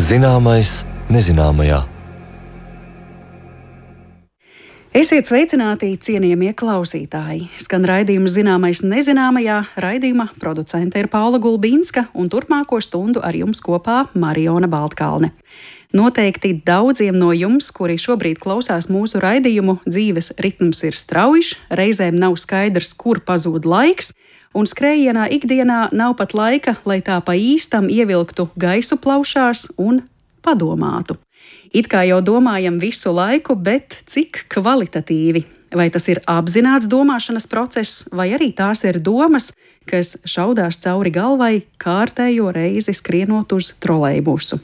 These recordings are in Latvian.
Zināmais nezināmajā. Esiet sveicināti, cienījamie klausītāji! Skan raidījums Zināmais nezināmajā. Raidījuma producente ir Paula Gulbīnska un turpmāko stundu ar jums kopā Mariona Baltkalne. Noteikti daudziem no jums, kuri šobrīd klausās mūsu raidījumu, dzīves ritms ir straujš, reizēm nav skaidrs, kur pazūd laiks, un skrējienā ikdienā nav pat laika, lai tā pa īstam ievilktu gaisu plaušās un padomātu. It kā jau domājam visu laiku, bet cik kvalitatīvi? Vai tas ir apzināts domāšanas process, vai arī tās ir domas, kas šaudās cauri galvai kārtējo reizi skrienot uz trolejbusu?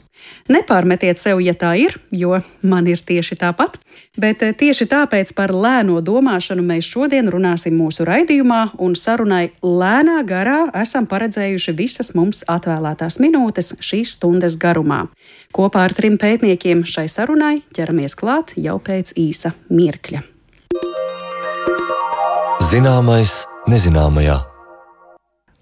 Nepārmetiet sev, ja tā ir, jo man ir tieši tāpat, bet tieši tāpēc par lēno domāšanu mēs šodien runāsim mūsu raidījumā, un sarunai lēnā garā esam paredzējuši visas mums atvēlētās minūtes šīs stundas garumā. Kopā ar 3 pētniekiem šai sarunai ķeramies klāt jau pēc īsa mirkļa. Zināmais nezināmajā.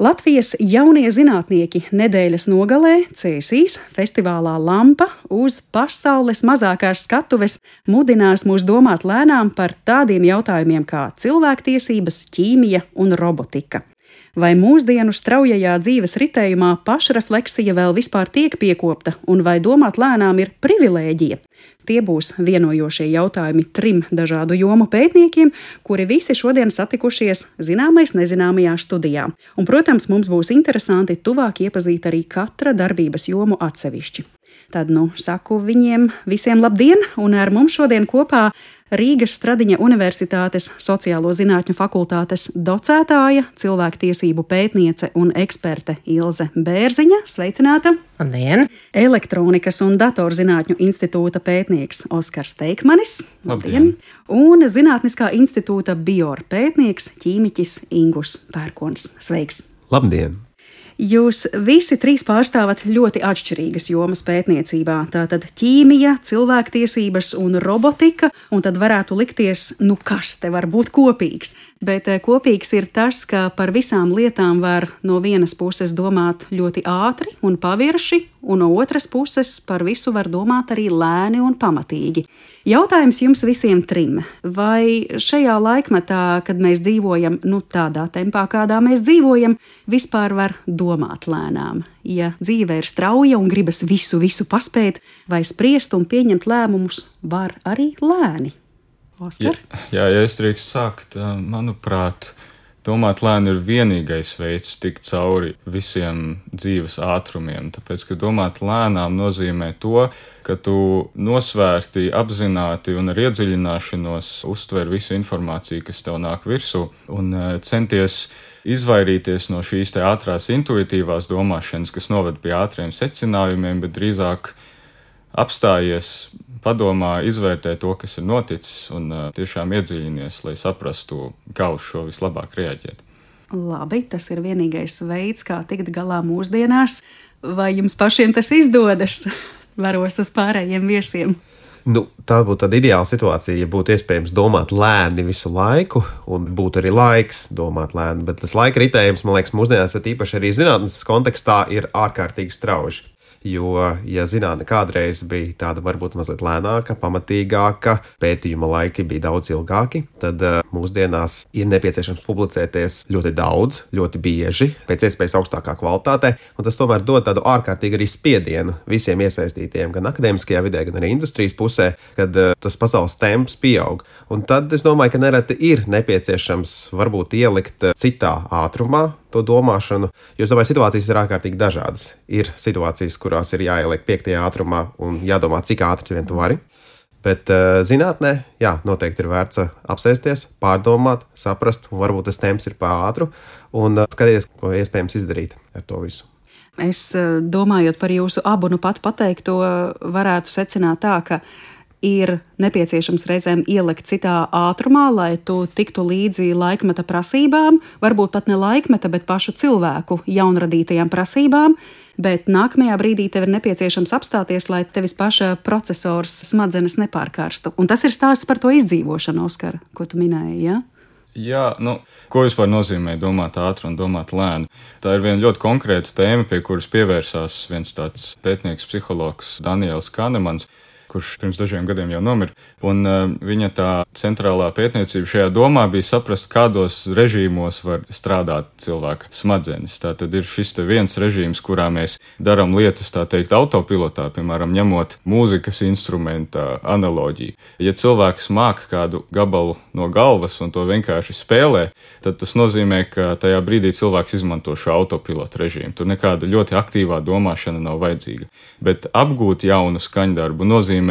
Latvijas jaunie zinātnieki nedēļas nogalē Cēsīs festivālā Lampa uz pasaules mazākās skatuves mudinās mūs domāt lēnām par tādiem jautājumiem kā cilvēktiesības, ķīmija un robotika. Vai mūsdienu straujajā dzīves ritējumā pašrefleksija vēl vispār tiek piekopta, un vai domāt lēnām ir privilēģija? Tie būs vienojošie jautājumi 3 dažādu jomu pētniekiem, kuri visi šodien satikušies Zināmais nezināmajā studijā. Un, protams, mums būs interesanti tuvāk iepazīt arī katra darbības jomu atsevišķi. Tad, saku viņiem visiem labdien, un ar mums šodien kopā Rīgas Stradiņa Universitātes Sociālo zinātņu fakultātes docētāja, cilvēktiesību pētniece un eksperte Ilze Bērziņa. Sveicināta! Labdien! Elektronikas un datorzinātņu institūta pētnieks Oskars Teikmanis. Labdien! Un Zinātniskā institūta bior pētnieks ķīmiķis Ingus Pērkons. Sveiks! Labdien! Jūs visi 3 pārstāvat ļoti atšķirīgas jomas pētniecībā. Tātad ķīmija, cilvēktiesības un robotika, un tad varētu likties, kas te var būt kopīgs. Bet kopīgs ir tas, ka par visām lietām var no vienas puses domāt ļoti ātri un pavirši, un no otras puses par visu var domāt arī lēni un pamatīgi. Jautājums jums visiem 3. Vai šajā laikmetā, kad mēs dzīvojam tādā tempā, kādā mēs dzīvojam, vispār var domāt lēnām? Ja dzīve ir strauja un gribas visu paspēt, vai spriest un pieņemt lēmumus var arī lēni? Oskar? Ja es drīkst sākt, manuprāt, domāt lēni ir vienīgais veids tikt cauri visiem dzīves ātrumiem, tāpēc, ka domāt lēnām nozīmē to, ka tu nosvērti, apzināti un ar iedziļināšanos uztver visu informāciju, kas tev nāk virsū, un centies izvairīties no šīs te ātrās intuitīvās domāšanas, kas noved pie ātriem secinājumiem, bet drīzāk apstājies, padomā, izvērtē to, kas ir noticis, un tiešām iedziļinies, lai saprastu, kā uz šo vislabāk reaģēt. Labi, tas ir vienīgais veids, kā tikt galā mūsdienās. Vai jums pašiem tas izdodas? Varos uz pārējiem viesiem. Tā būtu tāda ideāla situācija, ja būtu iespējams domāt lēni visu laiku, un būtu arī laiks domāt lēni, bet tas laika ritējums, man liekas, mūsdienās īpaši arī zinātnes kontekstā ir ārkārtīgi strauji. Jo, ja zinātne kādreiz bija tāda varbūt mazliet lēnāka, pamatīgāka, pētījuma laiki bija daudz ilgāki, tad mūsdienās ir nepieciešams publicēties ļoti daudz, ļoti bieži, pēc iespējas augstākā kvalitātē, un tas tomēr dod tādu ārkārtīgi arī spiedienu visiem iesaistītiem, gan akadēmiskajā vidē, gan arī industrijas pusē, kad tas pasaules temps pieaug. Un tad es domāju, ka nereti ir nepieciešams varbūt ielikt citā ātrumā to domāšanu, jo es domāju, situācijas ir ārkārtīgi dažādas. Ir situācijas, kurās ir jāieliek 5. ātrumā un jādomā, cik ātri vien tu vari. Bet zinātnē, noteikti ir vērts apsēsties, pārdomāt, saprast, un varbūt tas temps ir pār ātru, un skatīties, ko iespējams izdarīt ar to visu. Es domājot par jūsu abu pat pateikto, varētu secināt tā, ka ir nepieciešams reizēm ielikt citā ātrumā, lai tu tiktu līdzi laikmeta prasībām, varbūt pat ne laikmeta, bet pašu cilvēku jaunradītajām prasībām, bet nākamajā brīdī tev ir nepieciešams apstāties, lai tevis paša procesors smadzenes nepārkarstu. Un tas ir stāsts par to izdzīvošanu, Oskar, ko tu minēji, ja? Jā, ko vispār nozīmē domāt ātri un domāt lēni? Tā ir viena ļoti konkrēta tēma, pie kuras pievērsās viens tāds pētnieks, psihologs Daniels Kahnemans, kurš pirms dažiem gadiem jau nomira. Un viņa tā centrālā pētniecība šajā domā bija saprast, kādos režīmos var strādāt cilvēka smadzenes. Tā tad ir šis te viens režīms, kurā mēs darām lietas, tā teikt, autopilotā, piemēram, ņemot mūzikas instrumenta analoģiju. Ja cilvēks māca kādu gabalu no galvas un to vienkārši spēlē, tad tas nozīmē, ka tajā brīdī cilvēks izmanto šo autopilotu režīmu. Tur nekāda ļoti aktīvā domāšana nav vajadzīga. Bet apgūt jaunu skaņdarbu nozīmē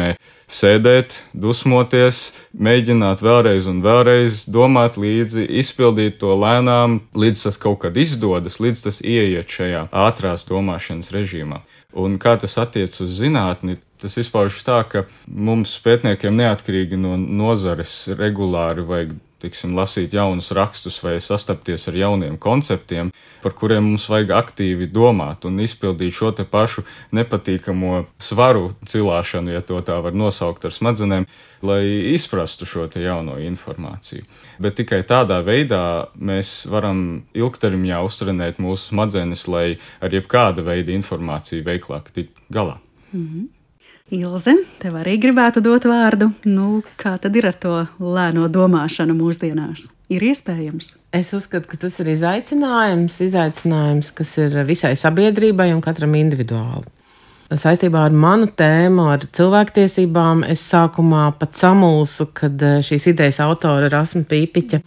sēdēt, dusmoties, mēģināt vēlreiz un vēlreiz, domāt līdzi, izpildīt to lēnām, līdz tas kaut kad izdodas, līdz tas ieiet šajā ātrās domāšanas režīmā. Un kā tas attiec uz zinātni, tas izpaužas tā, ka mums pētniekiem neatkarīgi no nozares regulāri vajag lasīt jaunus rakstus vai sastapties ar jauniem konceptiem, par kuriem mums vajag aktīvi domāt un izpildīt šo te pašu nepatīkamo svaru cilāšanu, ja to tā var nosaukt ar smadzenēm, lai izprastu šo te jauno informāciju. Bet tikai tādā veidā mēs varam ilgtermiņā uztrenēt mūsu smadzenes, lai ar jebkāda veida informāciju veiklāk tikt galā. Mhm. Ilze, tev arī gribētu dot vārdu. Kā tad ir ar to lēno domāšanu mūsdienās? Ir iespējams? Es uzskatu, ka tas ir izaicinājums, kas ir visai sabiedrībai un katram individuāli. Saistībā ar manu tēmu, ar cilvēktiesībām, es sākumā pat samulsu, kad šīs idejas autora Rasma Pīpiķa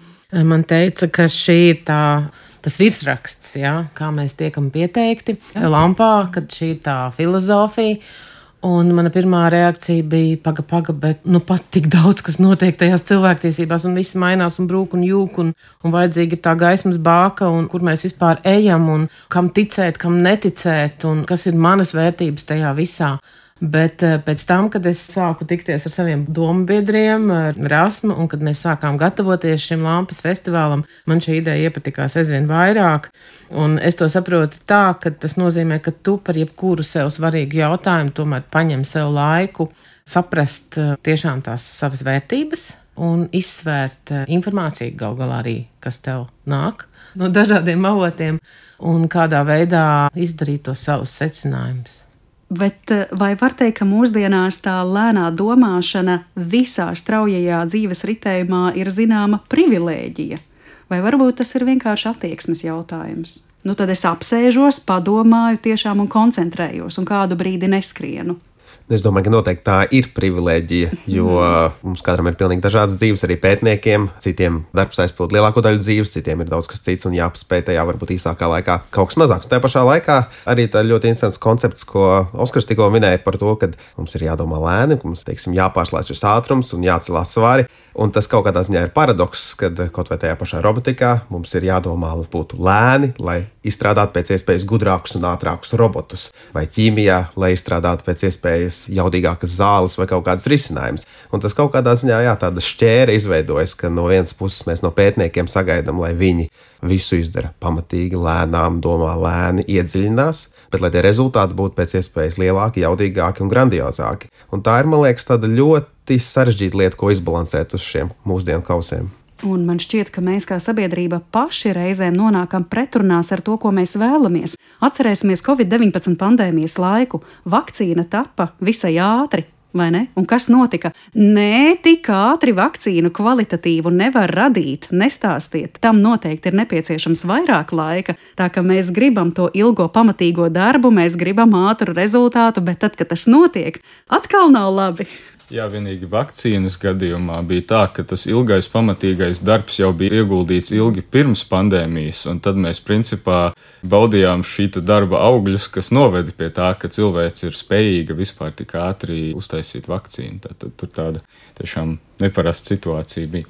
man teica, ka šī ir tas virsraksts, kā mēs tiekam pieteikti lampā, kad šī ir tā filozofija. Un mana pirmā reakcija bija paga, bet pat tik daudz, kas notiek tajās cilvēktiesībās, un viss mainās un brūk un jūk, un vajadzīga ir tā gaismas bāka, un kur mēs vispār ejam, un kam ticēt, kam neticēt, un kas ir manas vērtības tajā visā. Bet pēc tam, kad es sāku tikties ar saviem dombiedriem, ar Rasmu, un kad mēs sākām gatavoties šim Lampas festivālam, man šī ideja iepatikās aizvien vairāk. Un es to saprotu tā, ka tas nozīmē, ka tu par jebkuru sev svarīgu jautājumu tomēr paņem sev laiku saprast tiešām tās savas vērtības un izsvērt informāciju gal galā arī, kas tev nāk no dažādiem avotiem, un kādā veidā izdarīt tos savus secinājumus. Bet vai var teikt, ka mūsdienās tā lēnā domāšana visā straujajā dzīves ritējumā ir zināma privilēģija? Vai varbūt tas ir vienkārši attieksmes jautājums? Tad es apsēžos, padomāju tiešām un koncentrējos un kādu brīdi neskrienu. Es domāju, ka noteikti tā ir privilēģija, jo mums katram ir pilnīgi dažādas dzīves, arī pētniekiem. Citiem darbs aizpild lielāko daļu dzīves, citiem ir daudz kas cits un jāpaspēj tajā varbūt īsākā laikā kaut kas mazāks. Tajā pašā laikā arī tā ļoti interesants koncepts, ko Oskars tikko minēja par to, ka mums ir jādomā lēni, ka mums, jāpārslēdz šis ātrums un jācelās svari. Un tas kaut kādā ziņā ir paradoks, kad kaut vai tajā pašā robotikā mums ir jādomā, lai būtu lēni, lai izstrādātu pēc iespējas gudrākus un ātrākus robotus, vai ķīmijā, lai izstrādātu pēc iespējas jaudīgākas zāles vai kaut kādas risinājumus. Un tas kaut kādā ziņā, tāda šķēra izveidojas, ka no vienas puses mēs no pētniekiem sagaidām, lai viņi visu izdara pamatīgi, lēnām, domā lēni, iedziļinās, bet lai tie rezultāti būtu pēc iespējas lielāki, jaudīgāki un grandiozāki. Un tā ir, man liekas, tāda ļoti sarežģīta lieta, ko izbalansēt uz šiem mūsdienu kausiem. Un man šķiet, ka mēs kā sabiedrība paši reizēm nonākam pretrunās ar to, ko mēs vēlamies. Atcerēsimies Covid-19 pandēmijas laiku. Vakcīna tapa visai ātri. Vai ne? Un kas notika? Nē, tik ātri vakcīnu kvalitatīvu nevar radīt, nestāstiet. Tam noteikti ir nepieciešams vairāk laika, tā ka mēs gribam to ilgo pamatīgo darbu, mēs gribam ātru rezultātu, bet tad, kad tas notiek, atkal nav labi. Jā, vienīgi vakcīnas gadījumā bija tā, ka tas ilgais pamatīgais darbs jau bija ieguldīts ilgi pirms pandēmijas, un tad mēs principā baudījām šīta darba augļus, kas noveda pie tā, ka cilvēks ir spējīga vispār tik ātri uztaisīt vakcīnu. Tad tur tāda tiešām neparasta situācija bija.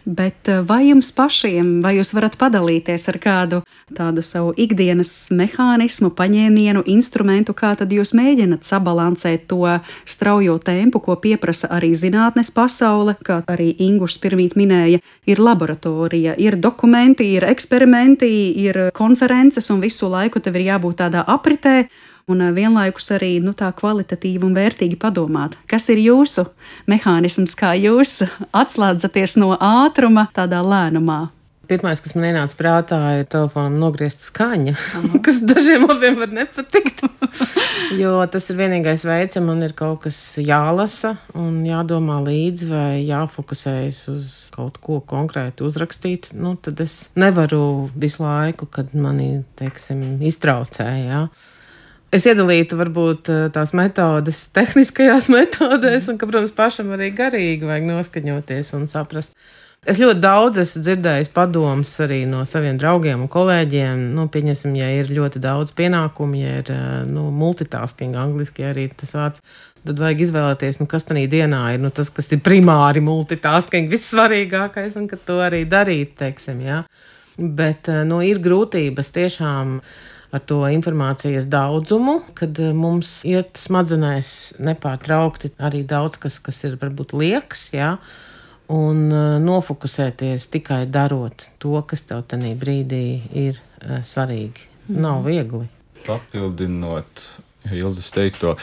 Bet vai jums pašiem, vai jūs varat padalīties ar kādu tādu savu ikdienas mehānismu, paņēmienu, instrumentu, kā tad jūs mēģināt sabalansēt to straujo tempu, ko pieprasa arī zinātnes pasaule, kā arī Ingus pirmīt minēja, ir laboratorija, ir dokumenti, ir eksperimenti, ir konferences un visu laiku tev ir jābūt tādā apritē. Un vienlaikus arī tā kvalitatīvi un vērtīgi padomāt, kas ir jūsu mehānisms, kā jūs atslēdzaties no ātruma tādā lēnumā. Pirmais, kas man ienāca prātā, ir telefonam nogriezt skaņa, kas dažiem abiem var nepatikt. Jo tas ir vienīgais veids, ja man ir kaut kas jālasa un jādomā līdzi vai jāfokusējas uz kaut ko konkrēti uzrakstīt, tad es nevaru visu laiku, kad mani, iztraucē, jā. Es iedalītu varbūt tās metodes tehniskajās metodēs un, ka, protams, pašam arī garīgi vajag noskaņoties un saprast. Es ļoti daudz esmu dzirdējis padomus arī no saviem draugiem un kolēģiem. Pieņemsim, ja ir ļoti daudz pienākumu, ja ir multitasking, angliski arī tas vārds, tad vajag izvēlēties, kas tanī dienā ir tas, kas ir primāri multitasking, vissvarīgākais, un ka to arī darīt, jā. Bet, ir grūtības tiešām ar to informācijas daudzumu, kad mums iet smadzenēs nepārtraukti arī daudz, kas ir varbūt liekas, jā, un nofokusēties tikai darot to, kas tev tanī brīdī ir svarīgi. Nav viegli. Papildinot Ilzes teikto,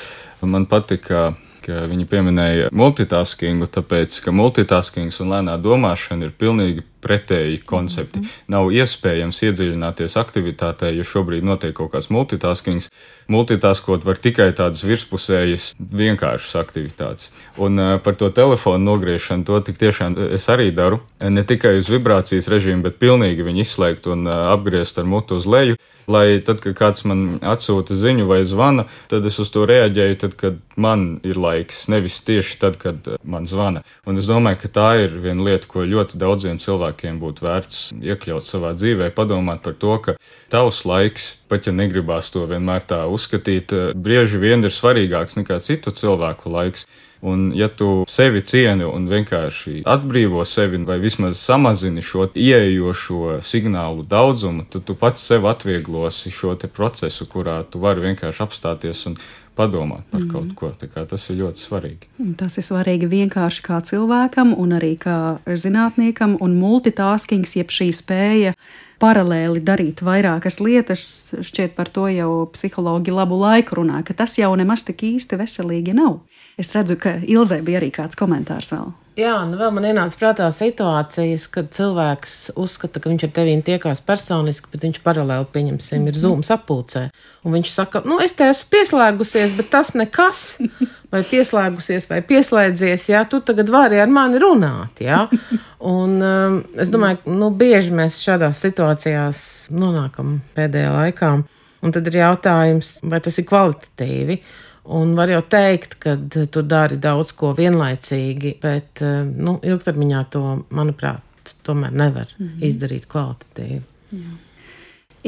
man patika, ka viņi pieminēja multitaskingu, tāpēc, ka multitaskings un lēnā domāšana ir pilnīgi pretēji koncepti. Nav iespējams iedziļināties aktivitātē, jo šobrīd notiek kaut kāds multitaskings. Multitaskot var tikai tādas virspusējas vienkāršas aktivitātes. Un par to telefonu nogriešanu, to tik tiešām es arī daru. Ne tikai uz vibrācijas režīmu, bet pilnīgi viņu izslēgt un apgriezt ar mutu uz leju, lai tad, kad kāds man atsūta ziņu vai zvana, tad es uz to reaģēju tad, kad man ir laiks, nevis tieši tad, kad man zvana. Un es domāju, ka tā ir viena lieta, ko ļoti daudziem cilvēkiem būtu vērts iekļaut savā dzīvē, padomāt par to, ka tavs laiks, pat ja negribās to vienmēr tā uzskatīt, bieži vien ir svarīgāks nekā citu cilvēku laiks. Un ja tu sevi cieni un vienkārši atbrīvo sevi vai vismaz samazini šo ieejošo signālu daudzumu, tad tu pats sev atvieglosi šo te procesu, kurā tu vari vienkārši apstāties un padomāt par kaut ko. Tā kā tas ir ļoti svarīgi. Tas ir svarīgi vienkārši kā cilvēkam un arī kā zinātniekam, un multitaskings, jeb šī spēja paralēli darīt vairākas lietas, šķiet par to jau psihologi labu laiku runā, ka tas jau nemaz tik īsti veselīgi nav. Es redzu, ka Ilzei bija arī kāds komentārs vēl. Jā, vēl man ienāca prātā situācijas, kad cilvēks uzskata, ka viņš ar tevi tiekās personiski, bet viņš paralēli, pieņemsim, ir Zoom sapulcē. Un viņš saka, es te esmu pieslēgusies, bet tas nekas. Vai pieslēgusies, vai pieslēdzies, jā, tu tagad vari ar mani runāt, jā. Un es domāju, bieži mēs šādās situācijās nonākam pēdējā laikā. Un tad ir jautājums, vai tas ir kvalitatīvi. Un var jau teikt, ka tu dari daudz ko vienlaicīgi, bet ilgtermiņā to, manuprāt, tomēr nevar izdarīt kvalitatīvi. Jā.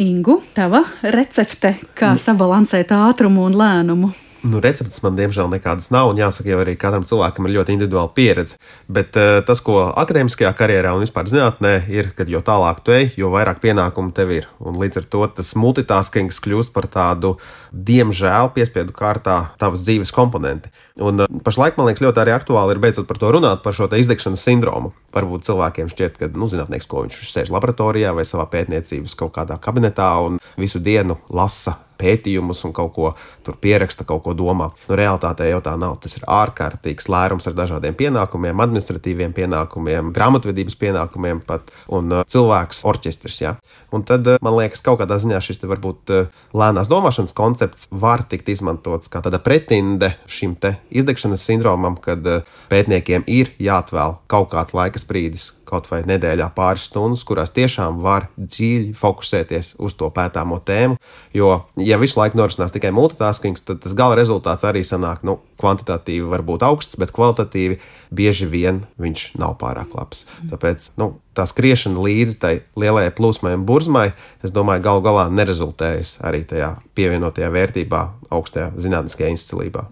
Ingu, tava recepte, kā sabalansēt ātrumu un lēnumu? Receptes man diemžēl nekādas nav, un jāsaka, jau arī katram cilvēkam ir ļoti individuāla pieredze. Bet tas, ko akadēmiskajā karjerā un vispār zinātnē ir, kad jo tālāk tu ej, jo vairāk pienākumu tev ir. Un līdz ar to tas multitaskings kļūst par tādu, diemžēl, piespiedu kārtā tavas dzīves komponenti. Un pašlaik, man liekas, ļoti arī aktuāli ir beidzot par to runāt, par šo te izdegšanas sindromu. Varbūt cilvēkiem šķiet, ka zinātnieks, ko viņš sēž laboratorijā vai savā pētniecības kaut kādā kabinetā un visu dienu lasa pētījumus un kaut ko tur pieraksta, kaut ko domā. Realitātē jau tā nav. Tas ir ārkārtīgs lērums ar dažādiem pienākumiem, administratīviem pienākumiem, grāmatvedības pienākumiem pat, un cilvēks orķestris, jā. Un tad, man liekas, kaut kādā ziņā šis te varbūt lēnās domāšanas koncepts var tikt izmantots kā tāda pretinde šim te izdegšanas sindromam, kad pētniekiem ir jāatvēl kaut kāds laika sprīdis, kaut vai nedēļā pāris stundas, kurās tiešām var dziļi fokusēties uz to pētāmo tēmu, jo, ja visu laiku norisinās tikai multitaskings, tad tas gala rezultāts arī sanāk, kvantitatīvi var būt augsts, bet kvalitatīvi bieži vien viņš nav pārāk labs. Tāpēc, tā skriešana līdzi tai lielajai plūsmai un burzmai, es domāju, galu galā nerezultējas arī tajā pievienotajā vērtībā, augstajā zinātniskajā izcilībā.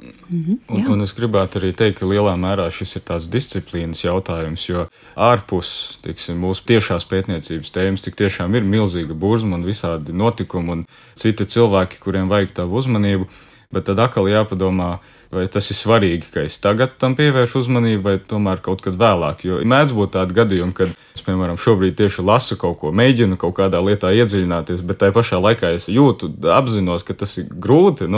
Un es gribētu arī teikt, ka lielā mērā šis ir tās disciplīnas jautājums, jo ārpus, mūsu tiešās pētniecības tēmas tik tiešām ir milzīga burzma un visādi notikumi un citi cilvēki, kuriem vajag tavu uzmanību, bet tad atkal jāpadomā, vai tas ir svarīgi, ka es tagad tam pievēršu uzmanību, vai tomēr kaut kad vēlāk. Jo mēdz būt tādi gadījumi, kad es, piemēram, šobrīd tieši lasu kaut ko, mēģinu kaut kādā lietā iedziļināties, bet tai pašā laikā es jūtu, apzinos, ka tas ir grūti,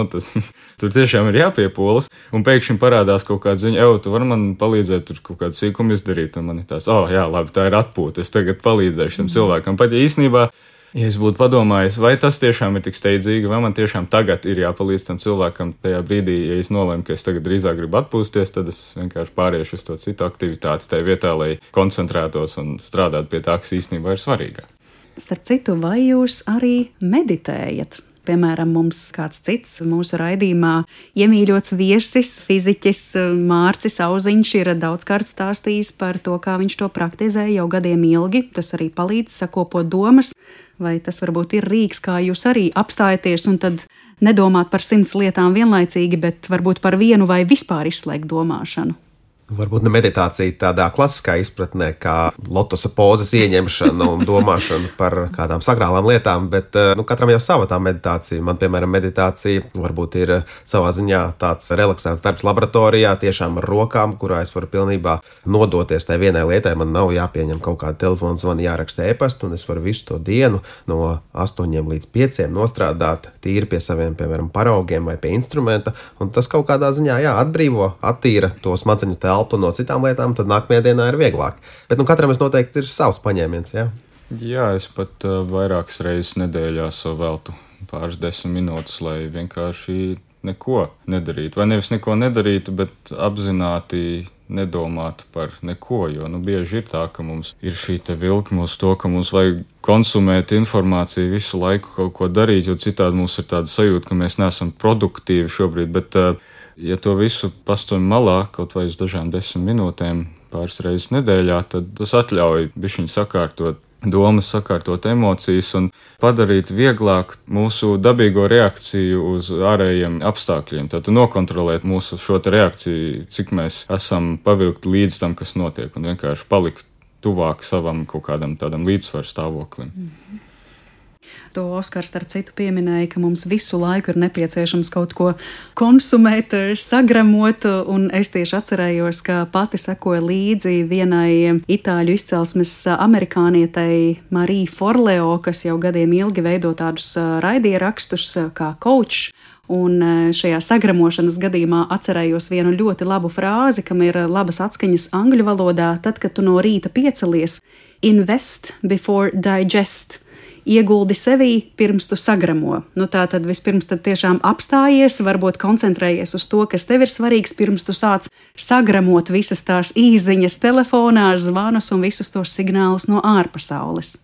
tur tiešām ir jāpiepolas, un pēkšņi parādās kaut kāda ziņa, tu vari man palīdzēt tur kaut kādu sīkumu izdarīt, un man ir tās, jā, labi, tā ir atpūta, es tagad palīdzēšu tam cilvēkam. Pat ja īstenībā, ja es būtu padomājis, vai tas tiešām ir tik steidzīgi, vai man tiešām tagad ir jāpalīdz tam cilvēkam tajā brīdī, ja es nolēmu, ka es tagad drīzāk gribu atpūsties, tad es vienkārši pāriešu uz to citu aktivitāti tajā vietā, lai koncentrētos un strādātu pie tā, kas īstenībā ir svarīgāk. Starp citu, vai jūs arī meditējat? Piemēram, mums kāds cits mūsu raidījumā iemīļots viesis, fiziķis Mārcis Auziņš ir daudzkārt stāstījis par to, kā viņš to praktizē jau gadiem ilgi. Tas arī palīdz sakopot domas, vai tas varbūt ir rīks, kā jūs arī apstājaties un tad nedomāt par 100 lietām vienlaicīgi, bet varbūt par vienu vai vispār izslēgt domāšanu. Varbūt ne meditācija tādā klasiskā izpratnē, kā lotosa pozas ieņemšana un domāšana par kādām sakrālām lietām, bet katram jau sava tā meditācija. Man, piemēram, meditācija varbūt ir savā ziņā tāds relaksēts darbs laboratorijā, tiešām ar rokām, kurā es varu pilnībā nodoties tai vienai lietai. Man nav jāpieņem kaut kāda telefona zvana, jāraksta e-pastu, un es varu visu to dienu no 8 līdz 5 nostrādāt tīri pie saviem, piemēram, paraugiem vai pie instrumenta, un tas kaut kādā ziņā, atbrīvo, attīra to smadzeņu telpu no citām lietām, tad nākamajā dienā ir vieglāk. Bet katram es noteikti ir savs paņēmiens, Jā, es pat vairākas reizes nedēļā veltu pāris 10 minūtes, lai vienkārši neko nedarītu. Vai nevis neko nedarītu, bet apzināti nedomāt par neko, jo bieži ir tā, ka mums ir šī te vilkme uz to, ka mums vajag konsumēt informāciju visu laiku kaut ko darīt, jo citādi mums ir tāda sajūta, ka mēs neesam produktīvi šobrīd, bet ja to visu pastumj malā, kaut vai uz dažām 10 minūtēm pāris reizes nedēļā, tad tas atļauj bišķiņ sakārtot domas, sakārtot emocijas un padarīt vieglāk mūsu dabīgo reakciju uz ārējiem apstākļiem. Tātad nokontrolēt mūsu šo te reakciju, cik mēs esam pavilkti līdz tam, kas notiek, un vienkārši palikt tuvāk savam kaut kādam tādam līdzsvaru stāvoklim. To Oskars starp citu pieminēja, ka mums visu laiku ir nepieciešams kaut ko konsumēt, sagramot, un es tieši atcerējos, ka pati sekoju līdzi vienai itāļu izcelsmes amerikānietei Marija Forleo, kas jau gadiem ilgi veido tādus raidierakstus kā coach. Un šajā sagramošanas gadījumā atcerējos vienu ļoti labu frāzi, kam ir labas atskaņas angļu valodā, tad, kad tu no rīta piecelies, invest before digest. Ieguldi sevī, pirms tu sagramo. Tā tad vispirms tad tiešām apstājies, varbūt koncentrējies uz to, kas tev ir svarīgs, pirms tu sāc sagramot visas tās īziņas telefonā, zvanus un visus tos signālus no ārpasaules.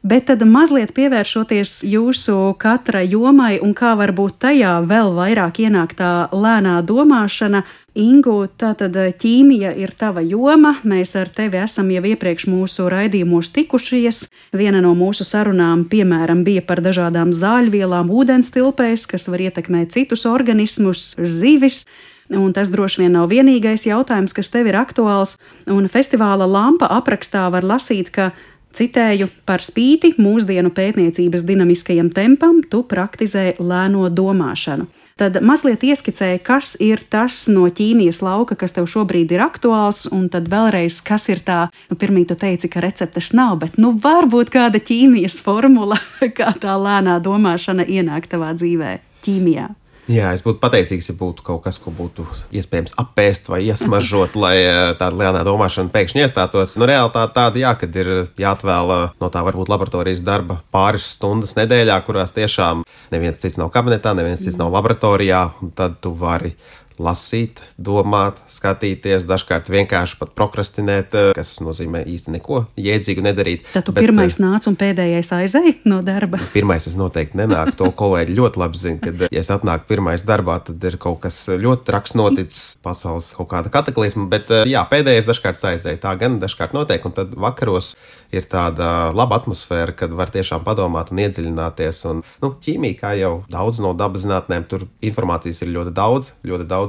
Bet tad mazliet pievēršoties jūsu katra jomai un kā varbūt tajā vēl vairāk ienāk tā lēnā domāšana. Ingu, tātad ķīmija ir tava joma, mēs ar tevi esam jau iepriekš mūsu raidījumos tikušies. Viena no mūsu sarunām, piemēram, bija par dažādām zāļvielām ūdenstilpēs, kas var ietekmēt citus organismus, zivis. Un tas droši vien nav vienīgais jautājums, kas tev ir aktuāls. Un festivāla Lampa aprakstā var lasīt, ka citēju, par spīti mūsdienu pētniecības dinamiskajam tempam, tu praktizē lēno domāšanu. Tad mazliet ieskicēja, kas ir tas no ķīmijas lauka, kas tev šobrīd ir aktuāls, un tad vēlreiz, kas ir tā, pirmīt tu teici, ka receptes nav, bet varbūt kāda ķīmijas formula, kā tā lēnā domāšana ienāk tavā dzīvē, ķīmijā. Jā, es būtu pateicīgs, ja būtu kaut kas, ko būtu iespējams apēst vai iesmažot, lai tāda lēnā domāšana pēkšņi iestātos. Realitāte tāda, kad ir jāatvēl no tā varbūt laboratorijas darba pāris stundas nedēļā, kurās tiešām neviens cits nav kabinetā, neviens cits nav laboratorijā, un tad tu vari lasīt, domāt, skatīties, dažkārt vienkārši pat prokrastinēt, kas nozīmē īsti neko jēdzīgu nedarīt. Tad tu pirmais nāc un pēdējais aizēj no darba? Pirmais es noteikti nenāku, to kolēģi ļoti labi zina, kad, ja es atnāku pirmais darbā, tad ir kaut kas ļoti traks noticis, pasaules kaut kāda kataklizma, bet jā, pēdējais dažkārt aizēj, tā gan dažkārt notiek, un tad vakaros ir tāda laba atmosfēra, kad var tiešām padomāt un iedziļināties, un, ķīmija, kā jau daudz no dabas zinātnēm, tur informācijas ir ļoti daudz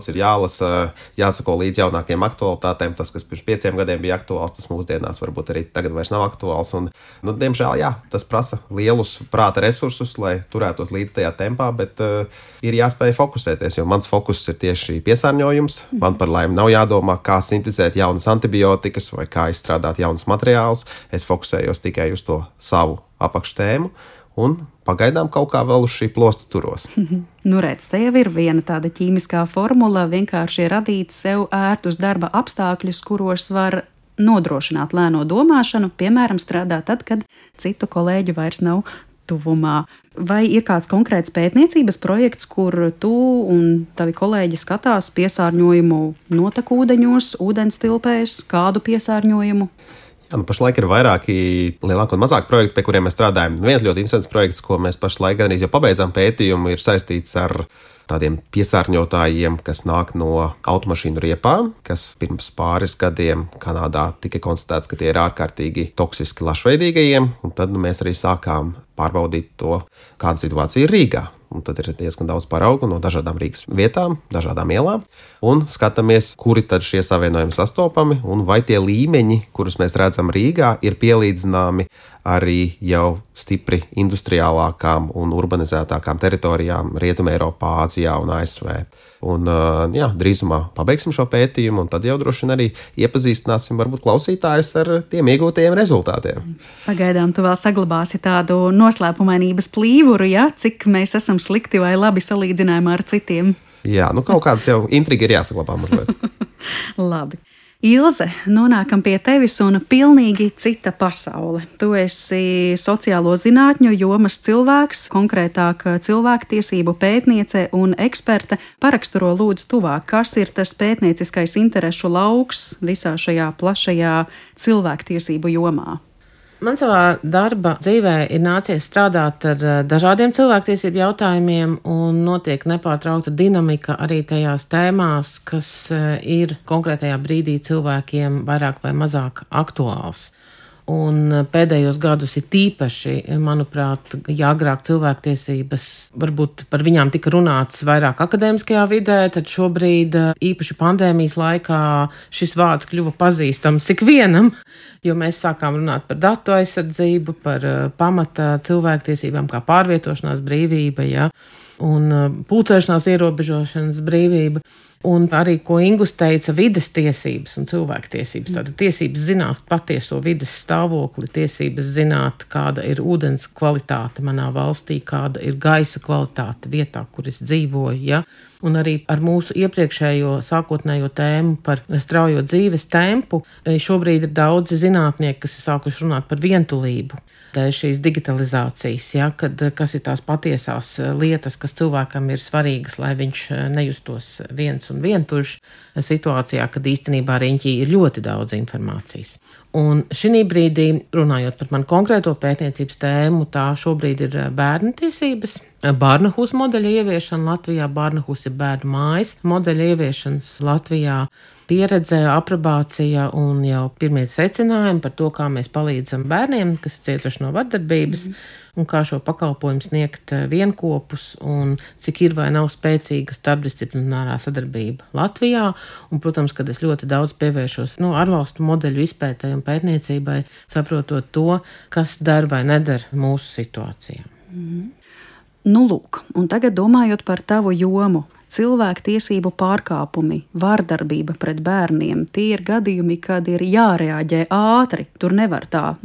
ir jālasa, jāsako līdz jaunākiem aktualitātēm. Tas, kas pirms 5 gadiem bija aktuāls, tas mūsdienās varbūt arī tagad vairs nav aktuāls. Un, diemžēl, jā, tas prasa lielus prāta resursus, lai turētos līdz tajā tempā, bet ir jāspēj fokusēties, jo mans fokus ir tieši piesārņojums. Man par laimi nav jādomā, kā sintezēt jaunas antibiotikas vai kā izstrādāt jaunus materiālus. Es fokusējos tikai uz to savu apakštēmu. Un pagaidām kaut kā vēl uz šī plosta turos. Redz, te jau ir viena tāda ķīmiskā formula, vienkārši radīt sev ērtus darba apstākļus, kuros var nodrošināt lēno domāšanu, piemēram, strādāt tad, kad citu kolēģu vairs nav tuvumā. Vai ir kāds konkrēts pētniecības projekts, kur tu un tavi kolēģi skatās piesārņojumu notekūdeņos, ūdenstilpēs, kādu piesārņojumu? Jā, pašlaik ir vairāki lielāki un mazāki projekti, pie kuriem mēs strādājam. Viens ļoti interesants projekts, ko mēs pašlaik gandrīz jau pabeidzām pētījumu, ir saistīts ar tādiem piesārņotājiem, kas nāk no automašīnu riepām, kas pirms pāris gadiem Kanādā tika konstatēts, ka tie ir ārkārtīgi toksiski lašveidīgajiem, un tad mēs arī sākām pārbaudīt to, kāda situācija ir Rīgā. Un tad ir diezgan daudz paraugu no dažādām Rīgas vietām, dažādām ielām, un skatāmies, kuri tad šie savienojumi sastopami, un vai tie līmeņi, kurus mēs redzam Rīgā, ir pielīdzināmi arī jau stipri industriālākām un urbanizētākām teritorijām Rietumē Eiropā, Āzijā un ASV. Un, jā, drīzumā pabeigsim šo pētījumu, un tad jau droši vien arī iepazīstināsim varbūt klausītājus ar tiem iegūtajiem rezultātiem. Pagaidām tu vēl saglabāsi tādu noslēpumainības plīvuru, ja? Cik mēs esam slikti vai labi salīdzinājumā ar citiem. Jā, kaut kāds jau intriga ir jāsaglabā mazliet. Labi. Ilze, nonākam pie tevis un pilnīgi cita pasaule. Tu esi sociālo zinātņu jomas cilvēks, konkrētāk cilvēktiesību pētniece un eksperte. Paraksturo lūdzu tuvāk, kas ir tas pētnieciskais interešu lauks visā šajā plašajā cilvēktiesību jomā? Man savā darba dzīvē ir nācies strādāt ar dažādiem cilvēktiesību jautājumiem, un notiek nepārtraukta dinamika arī tajās tēmās, kas ir konkrētajā brīdī cilvēkiem vairāk vai mazāk aktuāls. Un pēdējos gadus ir tīpaši, manuprāt, ja agrāk cilvēktiesības, varbūt par viņām tika runāts vairāk akadēmiskajā vidē, tad šobrīd īpaši pandēmijas laikā šis vārds kļuva pazīstams ikvienam, jo mēs sākām runāt par datu aizsardzību, par pamata cilvēktiesībām kā pārvietošanās brīvība, ja, un pulcēšanās ierobežošanas brīvība. Un arī, ko Ingus teica, vides tiesības un cilvēktiesības. Tātad tiesības zināt patieso vides stāvokli, tiesības zināt, kāda ir ūdens kvalitāte manā valstī, kāda ir gaisa kvalitāte vietā, kur es dzīvoju. Ja? Un arī ar mūsu iepriekšējo sākotnējo tēmu par straujo dzīves tempu, šobrīd ir daudzi zinātnieki, kas ir sākuši runāt par vientulību. Dēļ šīs digitalizācijas, ja, kas ir tās patiesās lietas, kas cilvēkam ir svarīgas, lai viņš nejustos viens un vientuļš situācijā, kad īstenībā riņķī ir ļoti daudz informācijas. Un šī brīdī, runājot par manu konkrēto pētniecības tēmu, tā šobrīd ir bērnu tiesības, Barnahus modeļa ieviešana Latvijā, Barnahus ir bērnu mājas modeļa ieviešanas Latvijā, pieredze, aprobācija un jau pirmie secinājumi par to, kā mēs palīdzam bērniem, kas ir cietuši no vardarbības, un kā šo pakalpojumu sniegt vienkopus, un cik ir vai nav spēcīga starpdisciplinārā sadarbība Latvijā. Un, protams, kad es ļoti daudz pievēršos ārvalstu modeļu izpētē un pētniecībai, saprotot to, kas dar vai nedar mūsu situācijā. Lūk, un tagad domājot par tavu jomu, cilvēktiesību pārkāpumi, vardarbība pret bērniem, tie ir gadījumi, kad ir jārēģē ātri. Tur nevar tā,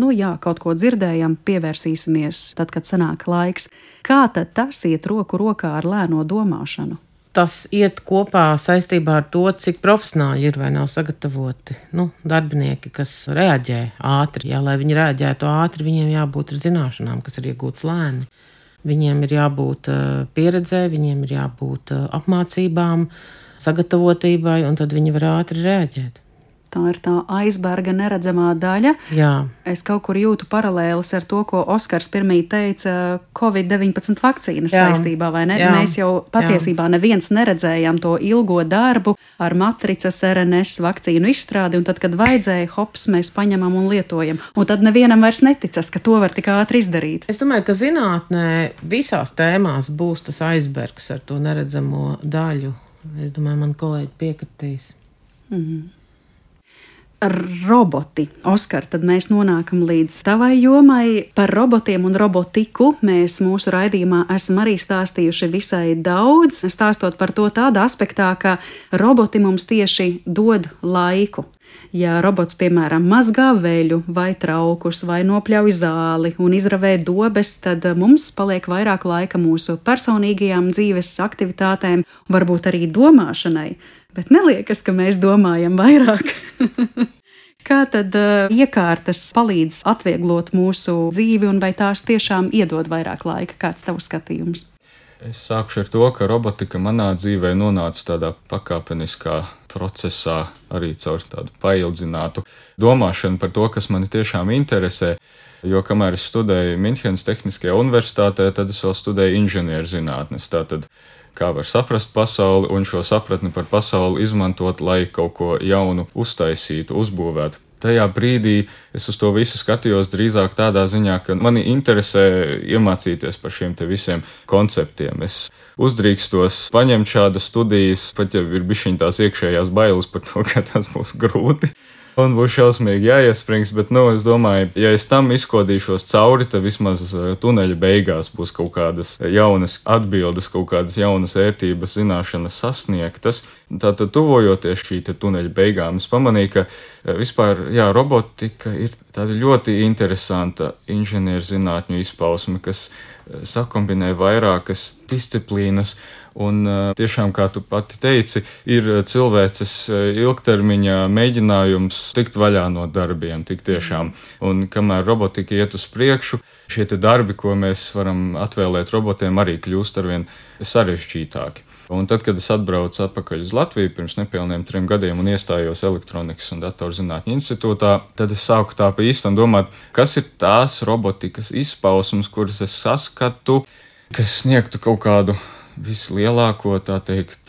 kaut ko dzirdējam, pievērsīsimies tad, kad sanāk laiks. Kā tad tas iet roku rokā ar lēno domāšanu? Tas iet kopā saistībā ar to, cik profesionāļi ir vai nav sagatavoti. Darbinieki, kas reaģē ātri, lai viņi reaģētu ātri, viņiem jābūt ar zināšanām, kas ir iegūtas lēni. Viņiem ir jābūt pieredzē, viņiem ir jābūt apmācībām, sagatavotībai, un tad viņi var ātri reaģēt. Tā ir tā aizberga neredzamā daļa. Jā. Es kaut kur jūtu paralēlis ar to, ko Oskars pirmīt teica Covid-19 vakcīnas saistībā, vai ne? Jā. Mēs jau patiesībā neviens neredzējām to ilgo darbu ar matricas RNS vakcīnu izstrādi, un tad, kad vajadzēja, hops, mēs paņemam un lietojam. Un tad nevienam vairs neticas, ka to var tik ātri izdarīt. Es domāju, ka zinātnē visās tēmās būs tas aizbergs ar to neredzamo daļu. Es domāju, man kolēģi piekritīs. Roboti. Oskar, tad mēs nonākam līdz tavai jomai. Par robotiem un robotiku mēs mūsu raidījumā esam arī stāstījuši visai daudz, stāstot par to tādā aspektā, ka roboti mums tieši dod laiku. Ja robots, piemēram, mazgā veļu vai traukus vai nopļauj zāli un izravē dobes, tad mums paliek vairāk laika mūsu personīgajām dzīves aktivitātēm, varbūt arī domāšanai. Bet neliekas, ka mēs domājam vairāk. Kā tad iekārtas palīdz atvieglot mūsu dzīvi un vai tās tiešām iedod vairāk laika? Kāds tavs skatījums? Es sākšu ar to, ka robotika manā dzīvē nonāca tādā pakāpeniskā procesā, arī caur tādu paildzinātu domāšanu par to, kas mani tiešām interesē. Jo kamēr es studēju Minhenes Tehniskajā universitātē, tad es vēl studēju inženierzinātnes. Tātad, kā var saprast pasauli un šo sapratni par pasauli izmantot, lai kaut ko jaunu uztaisītu, uzbūvētu. Tajā brīdī es uz to visu skatījos drīzāk tādā ziņā, ka mani interesē iemācīties par šiem te visiem konceptiem. Es uzdrīkstos paņemt šādas studijas, pat ja ir bišķiņ tās iekšējās bailes par to, ka tas būs grūti. Un būs šausmīgi jāiesprings, bet, es domāju, ja es tam izkodīšos cauri, tad vismaz tuneļa beigās būs kaut kādas jaunas atbildes, kaut kādas jaunas ērtības, zināšanas sasniegtas. Tātad, tuvojoties šī tuneļa beigām, es pamanīju, ka vispār, robotika ir tāda ļoti interesanta inženierzinātņu izpausme, kas sakombinē vairākas disciplīnas. Un tiešām, kā tu pati teici, ir cilvēces ilgtermiņa mēģinājums tikt vaļā no darbiem, tik tiešām. Un kamēr robotika iet uz priekšu, šie te darbi, ko mēs varam atvēlēt robotiem, arī kļūst arvien sarežģītāki. Un tad, kad es atbraucu atpakaļ uz Latviju pirms nepilniem 3 gadiem un iestājos Elektronikas un datorzinātņu institūtā, tad es sāku tā pa īstam domāt, kas ir tās robotikas izpausmes, kuras es saskatu, kas sniegtu kaut kādu vislielāko, tā teikt,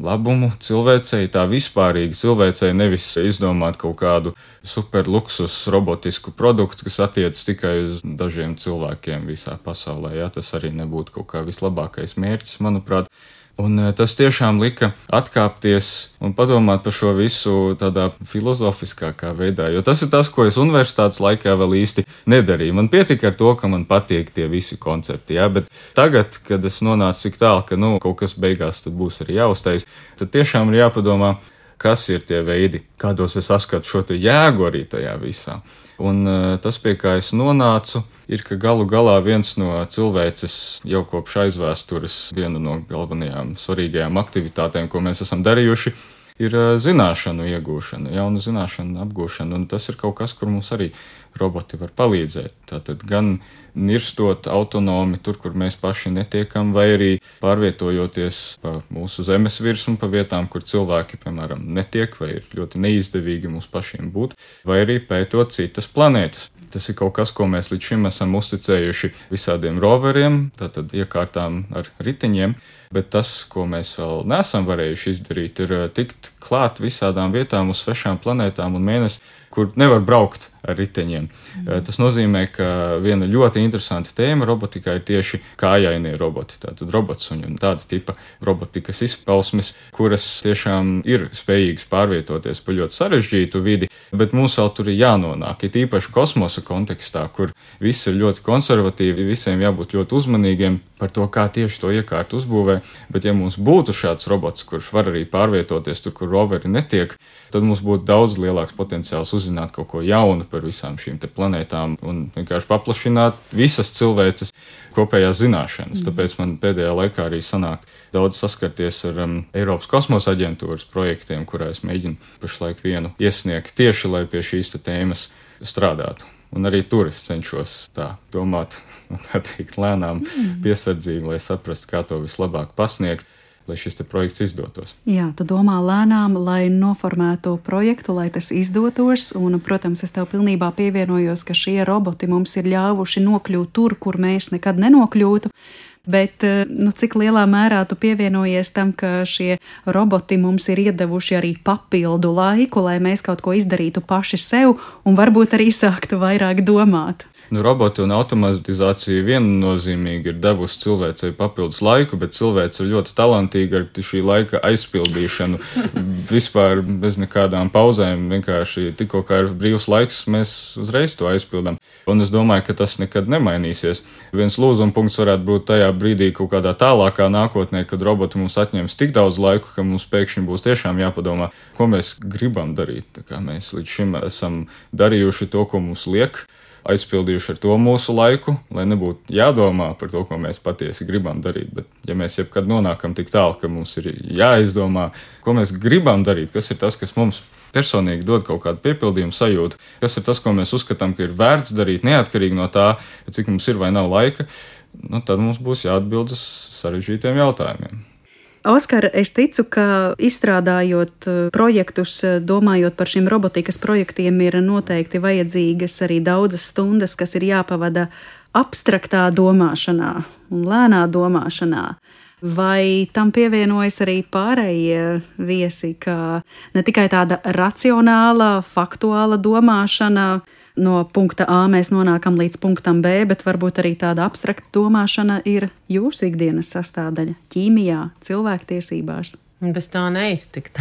labumu cilvēcei, tā vispārīgi cilvēcei, nevis izdomāt kaut kādu superluksus robotisku produktu, kas attiecas tikai uz dažiem cilvēkiem visā pasaulē. Tas arī nebūtu kaut kā vislabākais mērķis, manuprāt. Un tas tiešām lika atkāpties un padomāt par šo visu tādā filozofiskākā veidā, jo tas ir tas, ko es universitātes laikā vēl īsti nedarīju. Man pietika ar to, ka man patīk tie visi koncepti, bet tagad, kad es nonācu tik tālu, ka kaut kas beigās tad būs arī jāuztais, tad tiešām ir jāpadomā, kas ir tie veidi, kādos es saskatu šo te jēgu arī tajā visā. Un tas, pie kā es nonācu, ir, ka galu galā viens no cilvēces jau kopš aizvēstures, viena no galvenajām svarīgajām aktivitātēm, ko mēs esam darījuši, ir zināšanu iegūšana, jaunu zināšanu apgūšana, un tas ir kaut kas, kur mums arī roboti var palīdzēt. Tātad gan nirstot autonomi tur, kur mēs paši netiekam, vai arī pārvietojoties pa mūsu zemes virsmu, pa vietām, kur cilvēki, piemēram, netiek, vai ir ļoti neizdevīgi mums pašiem būt, vai arī pētot citas planētas. Tas ir kaut kas, ko mēs līdz šim esam uzticējuši visādiem roveriem, tātad iekārtām ar riteņiem, bet tas, ko mēs vēl neesam varējuši izdarīt, ir tikt klāt visādām vietām uz svešām planētām un mēnesi, kur nevar braukt ar riteņiem. Tas nozīmē, ka viena ļoti interesanta tēma robotikā ir tieši kājainie roboti. Tātad robotsuņi un tāda tipa robotikas izpausmes, kuras tiešām ir spējīgas pārvietoties pa ļoti sarežģītu vidi, bet mums vēl tur ir jānonāk. Ir īpaši kosmosa kontekstā, kur viss ir ļoti konservatīvi, visiem jābūt ļoti uzmanīgiem par to, kā tieši to iekārtu uzbūvē. Bet ja mums būtu šāds robots, kurš var arī pārvietoties tur, kur roveri netiek, tad mums būtu daudz lielāks potenciāls uzzināt kaut ko jaunu par visām šīm te planētām un vienkārši paplašināt visas cilvēces kopējās zināšanas. Tāpēc man pēdējā laikā arī sanāk daudz saskarties ar Eiropas kosmosa aģentūras projektiem, kurā es mēģinu pašlaik vienu iesniegt tieši, lai pie šīs te tēmas strādātu. Un arī tur es cenšos tā domāt, tā teikt, lēnām, piesardzīgi, lai saprastu, kā to vislabāk pasniegt, lai šis te projekts izdotos. Jā, tu domā lēnām, lai noformētu projektu, lai tas izdotos, un, protams, es tev pilnībā pievienojos, ka šie roboti mums ir ļāvuši nokļūt tur, kur mēs nekad nenokļūtu. Bet cik lielā mērā tu pievienojies tam, ka šie roboti mums ir iedevuši arī papildu laiku, lai mēs kaut ko izdarītu paši sev un varbūt arī sāktu vairāk domāt? Roboti un automatizācija viennozīmīgi ir devusi cilvēcei papildus laiku, bet cilvēce ir ļoti talantīga ar šī laika aizpildīšanu. Vispār bez nekādām pauzēm, vienkārši tikko kā ir brīvs laiks, mēs uzreiz to aizpildām. Un es domāju, ka tas nekad nemainīsies. Viens lūzuma punkts varētu būt tajā brīdī kaut kādā tālākā nākotnē, kad roboti mums atņems tik daudz laiku, ka mums pēkšņi būs tiešām jāpadomā, ko mēs gribam darīt. Tā kā mēs līdz šim esam darījuši to, ko mums liek, aizpildījuši ar to mūsu laiku, lai nebūtu jādomā par to, ko mēs patiesi gribam darīt. Bet ja mēs jebkad nonākam tik tālu, ka mums ir jāizdomā, ko mēs gribam darīt, kas ir tas, kas mums personīgi dod kaut kādu piepildījumu sajūtu, kas ir tas, ko mēs uzskatām, ka ir vērts darīt neatkarīgi no tā, cik mums ir vai nav laika, tad mums būs jāatbild uz sarežģītiem jautājumiem. Oskar, es ticu, ka izstrādājot projektus, domājot par šiem robotikas projektiem, ir noteikti vajadzīgas arī daudzas stundas, kas ir jāpavada abstraktā domāšanā un lēnā domāšanā. Vai tam pievienojas arī pārējie viesi, ka ne tikai tāda racionāla, faktuāla domāšana, no punkta A mēs nonākam līdz punktam B, bet varbūt arī tāda abstrakta domāšana ir jūsu ikdienas sastāvdaļa ķīmijā, cilvēktiesībās? Bez tā neiztikt.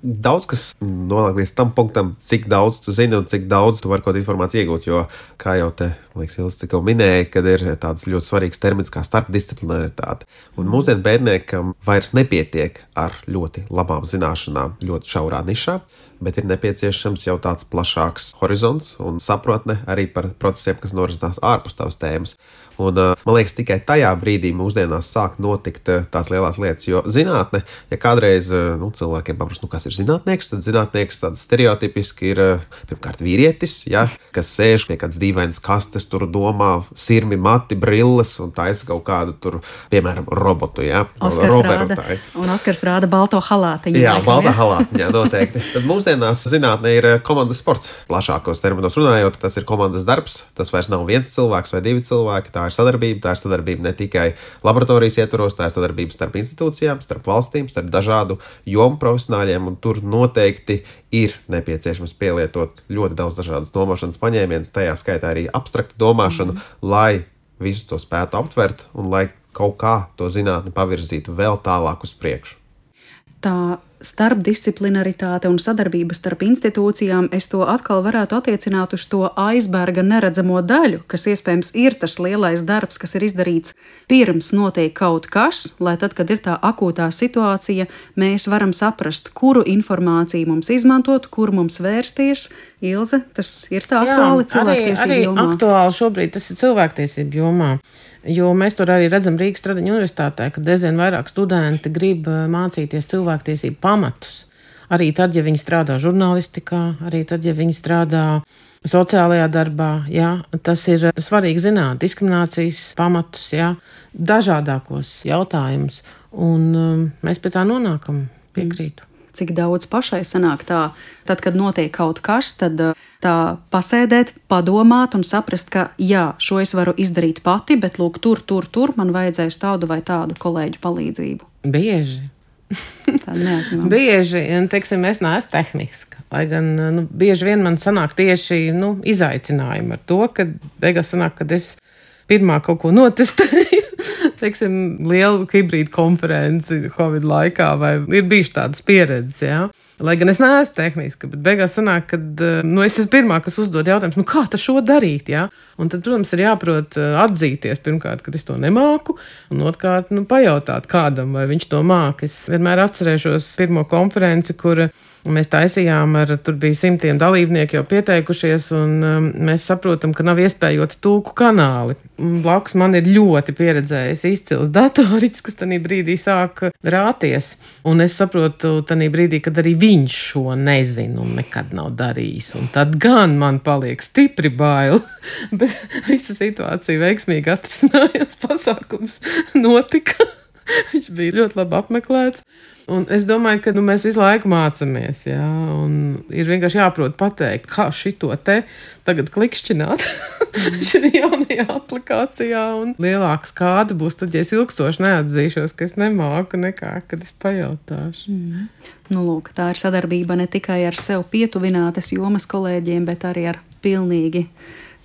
Daudz kas nonāk līdz tam punktam, cik daudz tu zini un cik daudz tu vari kaut informāciju iegūt, jo, kā jau te, liekas, Ilze tikko minēja, kad ir tāds ļoti svarīgs termins kā starpdisciplinaritāte. Un mūsdienu pētniekam vairs nepietiek ar ļoti labām zināšanām ļoti šaurā nišā, bet ir nepieciešams jau tāds plašāks horizonts un sapratne arī par procesiem, kas norisinās ārpus tavas tēmas. Un, man liekas, tikai tajā brīdī mūsdienās sāk notikt tās lielās lietas, jo zinātne, ja kādreiz cilvēkiem paprasta, kas ir zinātnieks, tad zinātnieks tāds stereotipiski ir pirmkārt vīrietis, ja, kas sēž pie kāds dīvains kastes, tur domā sirmi, mati, brilles un taisa kaut kādu tur, piemēram, robotu, ja, roveru taisa. Un Oskars rāda balto halātiņu. Jā, balta halātiņā noteikti. Tad mūsdienās zinātne ir komandas sports. Plašākos terminos runājot, tas ir komandas darbs, tas vairs nav viens cilvēks vai divi cilvēki, tā ir sadarbība ne tikai laboratorijas ietvaros, tā ir sadarbība starp institūcijām, starp valstīm, starp dažādu jomu profesionāļiem, un tur noteikti ir nepieciešams pielietot ļoti daudz dažādas domāšanas paņēmienus, tajā skaitā arī abstraktu domāšanu, lai visu to spētu aptvert un lai kaut kā to zinātni pavirzītu vēl tālāk uz priekšu. Tā starpdisciplinaritāte un sadarbība starp institūcijām, es to atkal varētu attiecināt uz to aizberga neredzamo daļu, kas iespējams ir tas lielais darbs, kas ir izdarīts pirms notiek kaut kas, lai tad, kad ir tā akūtā situācija, mēs varam saprast, kuru informāciju mums izmantot, kur mums vērsties. Ilze, tas ir tā aktuāli cilvēktiesību jomā? Arī aktuāli šobrīd tas ir cilvēktiesību jomā. Jo mēs tur arī redzam Rīgas Stradiņu universitātē, ka diezgan vairāk studenti grib mācīties cilvēktiesību pamatus. Arī tad, ja viņi strādā žurnālistikā, arī tad, ja viņi strādā sociālajā darbā, jā, tas ir svarīgi zināt, diskriminācijas pamatus, jā, dažādākos jautājumus, un mēs pie tā nonākam, piekrītu. Cik daudz pašai sanāk tā, tad, kad notiek kaut kas, tad tā pasēdēt, padomāt un saprast, ka jā, šo es varu izdarīt pati, bet lūk, tur man vajadzēs tādu vai tādu kolēģu palīdzību. Bieži. Tā neatņemama. Bieži, un teiksim, es neesmu tehniska, lai gan bieži vien man sanāk tieši izaicinājumi ar to, ka beigās sanāk, kad es pirmā kaut ko notestēju, teiksim, lielu hibrīdu konferenci Covid laikā, vai ir bijuši tādas pieredzes, jā. Lai gan es neesmu tehniska, bet beigās sanāk, kad es esmu pirmā, kas uzdod jautājumus, kā tā šo darīt, jā. Un tad, protams, ir jāprot atzīties pirmkārt, kad es to nemāku, un otrkārt, pajautāt kādam, vai viņš to māk. Es vienmēr atcerēšos pirmo konferenci, kur mēs taisījām, tur bija 100 dalībnieku jau pieteikušies, un mēs saprotam, ka nav iespējoti tulku kanāli. Blakus man ir ļoti pieredzējis izcils datoriķis, kas tanī brīdī sāk rāties. Un es saprotu tanī brīdī, kad arī viņš šo nezina un nekad nav darījis. Un tad gan man paliek stipri bail, bet visa situācija veiksmīgi atrisinājās, pasākums notika. Viņš bija ļoti labi apmeklēts. Un es domāju, ka mēs visu laiku mācāmies. Jā, un ir vienkārši jāprot pateikt, kā šito te tagad klikšķināt šajā jaunajā aplikācijā. Un lielāka skāde būs tad, ja es ilgstoši neatzīšos, ka es nemāku nekā, kad es pajautāšu. Nu, lūk, tā ir sadarbība ne tikai ar sev pietuvinātas jomas kolēģiem, bet arī ar pilnīgi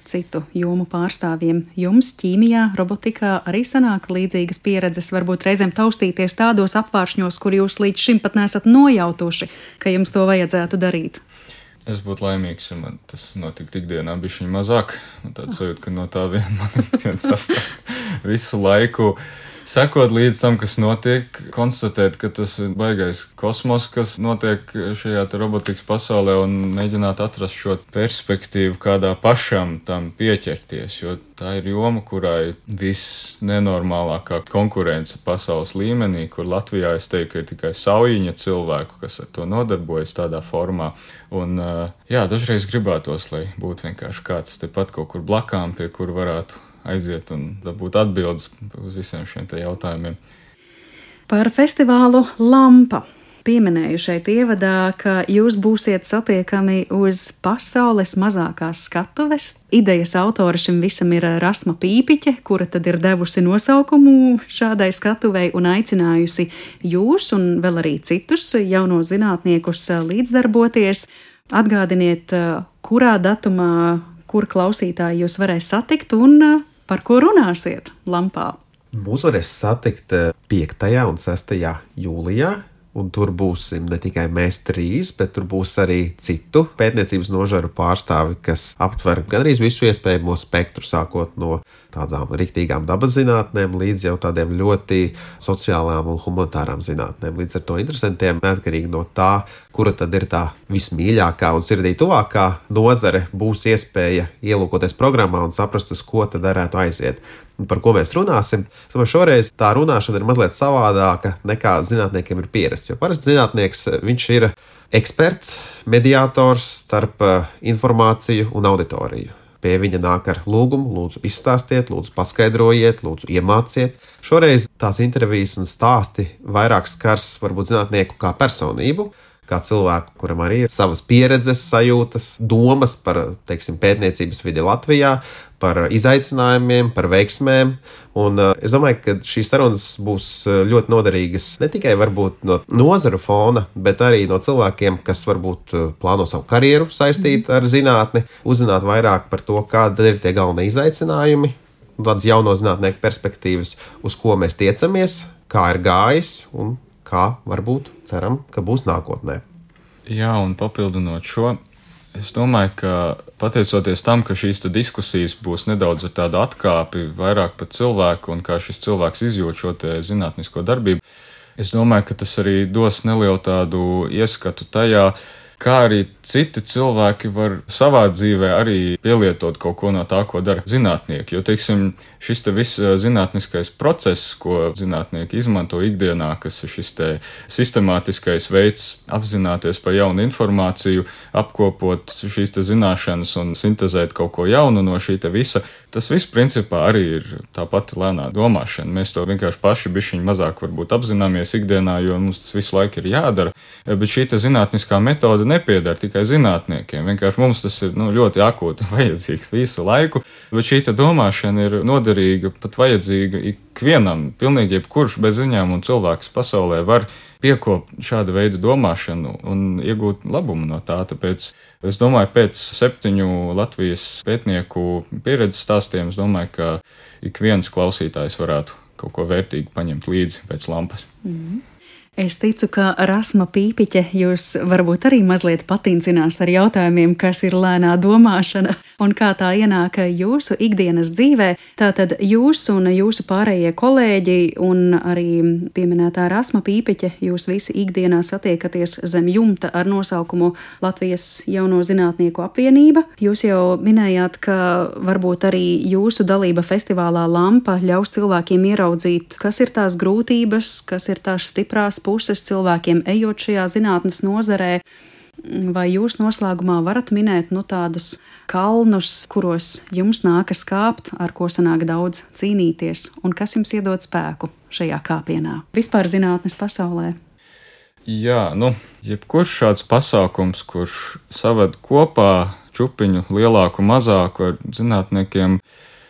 citu jomu pārstāvjiem. Jums ķīmijā, robotikā arī sanāk līdzīgas pieredzes, varbūt reizēm taustīties tādos apvāršņos, kur jūs līdz šim pat nesat nojautuši, ka jums to vajadzētu darīt. Es būtu laimīgs, ja man tas notiktu ikdienā bišķiņ mazāk. Tāds sajūt, ka no tā vien man ikdienas sastāv visu laiku. Sekot līdz tam, kas notiek, konstatēt, ka tas ir baigais kosmos, kas notiek šajā robotikas pasaulē, un mēģināt atrast šo perspektīvu, kādā pašam tam pieķerties, jo tā ir joma, kurai viss nenormālākā konkurence pasaules līmenī, kur Latvijā es teiktu, ka ir tikai saujiņa cilvēku, kas ar to nodarbojas tādā formā. Un, jā, dažreiz gribētos, lai būtu vienkārši kāds tepat kaut kur blakām, pie kur varētu aiziet un dabūt atbildes uz visiem šiem te jautājumiem. Par festivālu Lampa. Pieminēju šeit ievadā, ka jūs būsiet satiekami uz pasaules mazākās skatuves. Idejas autora šim visam ir Rasma Pīpiķe, kura tad ir devusi nosaukumu šādai skatuvei un aicinājusi jūs un vēl arī citus jauno zinātniekus līdzdarboties. Atgādiniet, kurā datumā, kur klausītāji jūs varēs satikt un par ko runāsiet Lampā? Mūs varēs satikt 5. un 6. jūlijā, un tur būsim ne tikai mēs 3, bet tur būs arī citu pētniecības nožaru pārstāvi, kas aptver gandrīz visu iespējamo spektru, sākot no tādām riktīgām dabas zinātnēm līdz jau tādiem ļoti sociālām un humanitārām zinātnēm. Līdz ar to interesantiem, neatkarīgi no tā, kura tad ir tā vismīļākā un sirdī tuvākā nozare, būs iespēja ielūkoties programmā un saprast, uz ko tad varētu aiziet. Un par ko mēs runāsim? Šoreiz tā runāšana ir mazliet savādāka nekā zinātniekiem ir pierasts. Jo parasti zinātnieks, viņš ir eksperts, mediātors starp informāciju un auditoriju. Pie viņa nāk ar lūgumu, lūdzu izstāstiet, lūdzu paskaidrojiet, lūdzu iemāciet. Šoreiz tās intervijas un stāsti vairāk skars varbūt zinātnieku kā personību, kā cilvēku, kuram arī ir savas pieredzes, sajūtas, domas par, teiksim, pētniecības vidi Latvijā, par izaicinājumiem, par veiksmēm. Un es domāju, ka šīs sarunas būs ļoti noderīgas ne tikai varbūt no nozaru fona, bet arī no cilvēkiem, kas varbūt plāno savu karjeru saistīt ar zinātni, uzzināt vairāk par to, kādi ir tie galvenie izaicinājumi, tādas jauno zinātnieku perspektīvas, uz ko mēs tiecamies, kā ir gājis un kā varbūt ceram, ka būs nākotnē. Jā, un papildinot šo, es domāju, ka pateicoties tam, ka šīs diskusijas būs nedaudz ar tādu atkāpi vairāk par cilvēku un kā šis cilvēks izjūt šo te zinātnisko darbību, es domāju, ka tas arī dos nelielu tādu ieskatu tajā, kā arī citi cilvēki var savā dzīvē arī pielietot kaut ko no tā, ko dara zinātnieki. Jo, teiksim, šis te viss zinātniskais process, ko zinātnieki izmanto ikdienā, kas ir šis te sistemātiskais veids apzināties par jaunu informāciju, apkopot šīs te zināšanas un sintezēt kaut ko jaunu no šī te visa, tas viss principā arī ir tā pati lēnā domāšana. Mēs to vienkārši paši bišķiņ mazāk varbūt apzināmies ikdienā, jo mums tas visu laiku ir jādara, bet šī te zinātniskā metode nepiedara tikai zinātniekiem. Vienkārši mums tas ir ļoti akūti vajadzīgs visu laiku, bet šī te domāšana ir noderīga, pat vajadzīga ikvienam. Pilnīgi jebkurš bez ziņām un cilvēks pasaulē var piekopt šāda veida domāšanu un iegūt labumu no tā. Tāpēc es domāju, pēc 7 Latvijas pētnieku pieredzes stāstiem, es domāju, ka ik viens klausītājs varētu kaut ko vērtīgu paņemt līdzi pēc lampas. Es ticu, ka Rasma Pīpiķe jūs varbūt arī mazliet patincinās ar jautājumiem, kas ir lēnā domāšana un kā tā ienāk jūsu ikdienas dzīvē. Tātad jūs un jūsu pārējie kolēģi un arī pieminētā Rasma Pīpiķe, jūs visi ikdienā satiekaties zem jumta ar nosaukumu Latvijas jauno zinātnieku apvienība. Jūs jau minējāt, ka varbūt arī jūsu dalība festivālā Lampa ļaus cilvēkiem ieraudzīt, kas ir tās grūtības, kas ir tās stiprās puses cilvēkiem ejot šajā zinātnes nozarē. Vai jūs noslēgumā varat minēt tādus kalnus, kuros jums nākas kāpt, ar ko sanāk daudz cīnīties, un kas jums iedod spēku šajā kāpienā vispār zinātnes pasaulē? Jā, jebkurš šāds pasākums, kurš saved kopā čupiņu lielāku, mazāku ar zinātniekiem,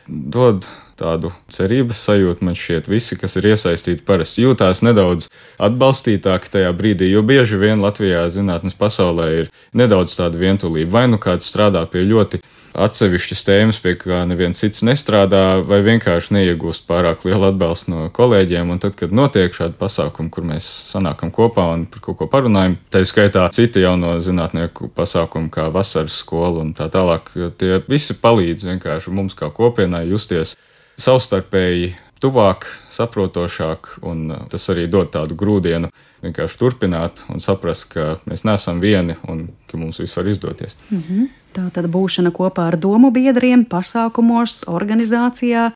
dod tādu cerības sajūtu. Man šķiet, visi, kas ir iesaistīti, parasti jūtās nedaudz atbalstītāki tajā brīdī, jo bieži vien Latvijā zinātnes pasaulē ir nedaudz tāda vientulība. Vai nu kāds strādā pie ļoti atsevišķas tēmas, pie kā neviens cits nestrādā, vai vienkārši neiegūst pārāk lielu atbalstu no kolēģiem, un tad, kad notiek šādi pasākumi, kur mēs sanākam kopā un par kaut ko parunājam, tā ir skaitā citi jauno zinātnieku pasākumi, kā vasaras skola un tā tālāk, tie visi palīdz vienkārši mums kā kopienai justies savstarpēji tuvāk, saprotošāk, un tas arī dod tādu grūdienu vienkārši turpināt un saprast, ka mēs neesam vieni un ka mums viss var izdoties. Tā tad būšana kopā ar domu biedriem, pasākumos, organizācijā,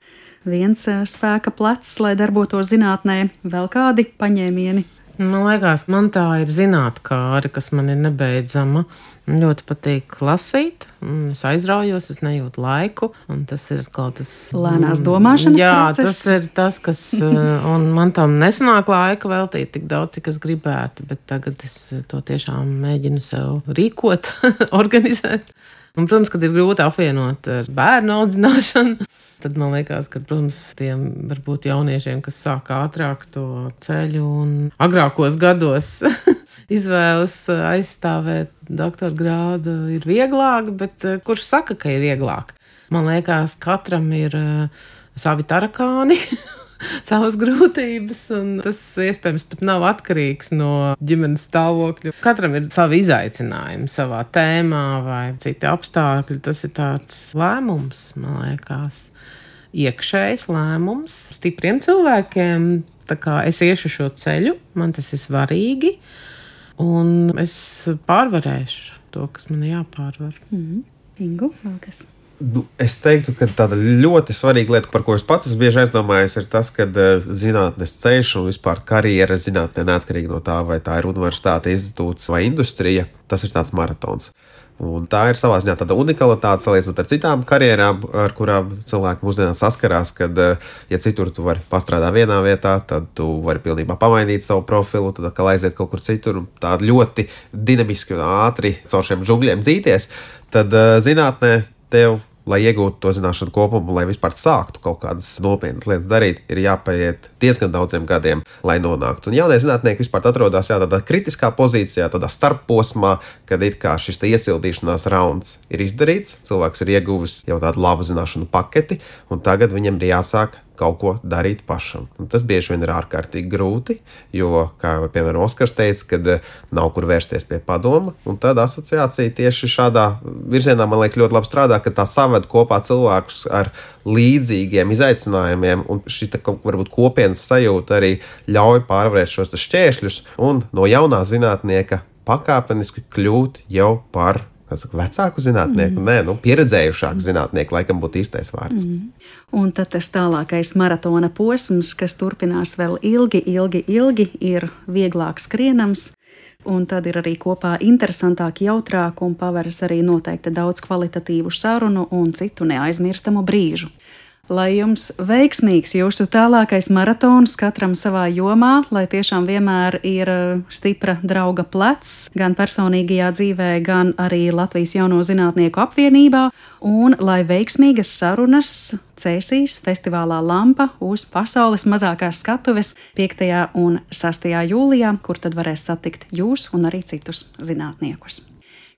viens spēka plecs, lai darbotos zinātnē, vēl kādi paņēmieni. Man liekas, man tā ir zinātkāre, kas man ir nebeidzama. Man ļoti patīk lasīt, es aizraujos, es nejūtu laiku, un tas ir kaut tas lēnās domāšanas process. Jā, tas ir tas, kas, un man tam nesanāk laika veltīt tik daudz, cik es gribētu, bet tagad es to tiešām mēģinu sev rīkot, organizēt. Un, protams, kad ir grūti apvienot ar bērnu audzināšanu, tad man liekas, ka, protams, tiem varbūt jauniešiem, kas sāk ātrāk to ceļu un agrākos gados izvēlas aizstāvēt doktora grādu, ir vieglāk, bet kurš saka, ka ir vieglāk? Man liekas, katram ir savi tarakāni, savas grūtības, un tas iespējams pat nav atkarīgs no ģimenes stāvokļa. Katram ir savi izaicinājumi savā tēmā vai citi apstākļi. Tas ir tāds lēmums, man liekas, iekšējs lēmums stipriem cilvēkiem. Tā kā es iešu šo ceļu, man tas ir svarīgi, un es pārvarēšu to, kas man jāpārvar. Ingu, vēl kas? Es teiktu, ka tāda ļoti svarīga lieta, par ko es pats esmu bieži aizdomājies, ir tas, ka zinātnes ceļš un vispār karjera zinātnē, neatkarīgi no tā, vai tā ir universitāte, institūts vai industrija, tas ir tāds maratons. Un tā ir savā ziņā tāda unikalitāte salīdzinot ar citām karjerām, ar kurām cilvēki mūsdienās saskarās, kad, ja citur tu vari pastrādāt vienā vietā, tad tu vari pilnībā pamainīt savu profilu, tad atkal aiziet kaut kur citur un tā ļoti dinamiski un ātri caur šiem džungļiem dzīties, tad zinātnē tev, lai iegūtu to zināšanu kopumu, lai vispār sāktu kaut kādas nopietnas lietas darīt, ir jāpaiet diezgan daudziem gadiem, lai nonāktu. Un jaunie zinātnieki vispār atrodas tādā kritiskā pozīcijā, tādā starpposmā, kad it kā šis iesildīšanās rauns ir izdarīts, cilvēks ir ieguvis jau tādu labu zināšanu paketi, un tagad viņam ir jāsāk kaut ko darīt pašam. Un tas bieži vien ir ārkārtīgi grūti, jo, kā piemēram Oskars teica, kad nav kur vērsties pie padoma, un tad asociācija tieši šādā virzienā, man liekas, ļoti labi strādā, ka tā saved kopā cilvēkus ar līdzīgiem izaicinājumiem, un šī varbūt kopienas sajūta arī ļauj pārvarēt šos šķēršļus un no jaunā zinātnieka pakāpeniski kļūt jau par vecāku zinātnieku, pieredzējušāku zinātnieku, laikam būtu īstais vārds. Un tad tas tālākais maratona posms, kas turpinās vēl ilgi, ir vieglāk skrienams, un tad ir arī kopā interesantāk, jautrāk, un paveras arī noteikti daudz kvalitatīvu sarunu un citu neaizmirstamu brīžu. Lai jums veiksmīgs jūsu tālākais maratons katram savā jomā, lai tiešām vienmēr ir stipra drauga plecs, gan personīgajā dzīvē, gan arī Latvijas jauno zinātnieku apvienībā, un lai veiksmīgas sarunas cēsīs festivālā Lampa uz pasaules mazākās skatuves 5. un 6. jūlijā, kur tad varēs satikt jūs un arī citus zinātniekus.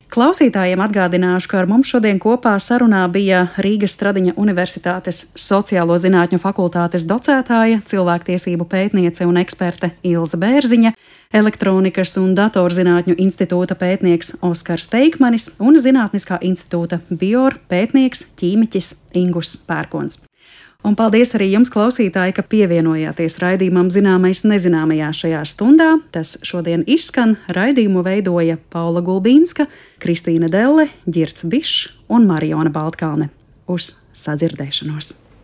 Klausītājiem atgādināšu, ka ar mums šodien kopā sarunā bija Rīgas Stradiņa Universitātes Sociālo zinātņu fakultātes docētāja, cilvēktiesību pētniece un eksperte Ilze Bērziņa, Elektronikas un datorzinātņu institūta pētnieks Oskars Teikmanis un Zinātniskā institūta Bior pētnieks ķīmiķis Ingus Pērkons. Un paldies arī jums, klausītāji, ka pievienojāties raidījumam Zināmais nezināmajā šajā stundā. Tas šodien izskan, raidījumu veidoja Paula Gulbīnska, Kristīna Delle, Ģirds Bišs un Mariona Baltkalne. Uz sadzirdēšanos!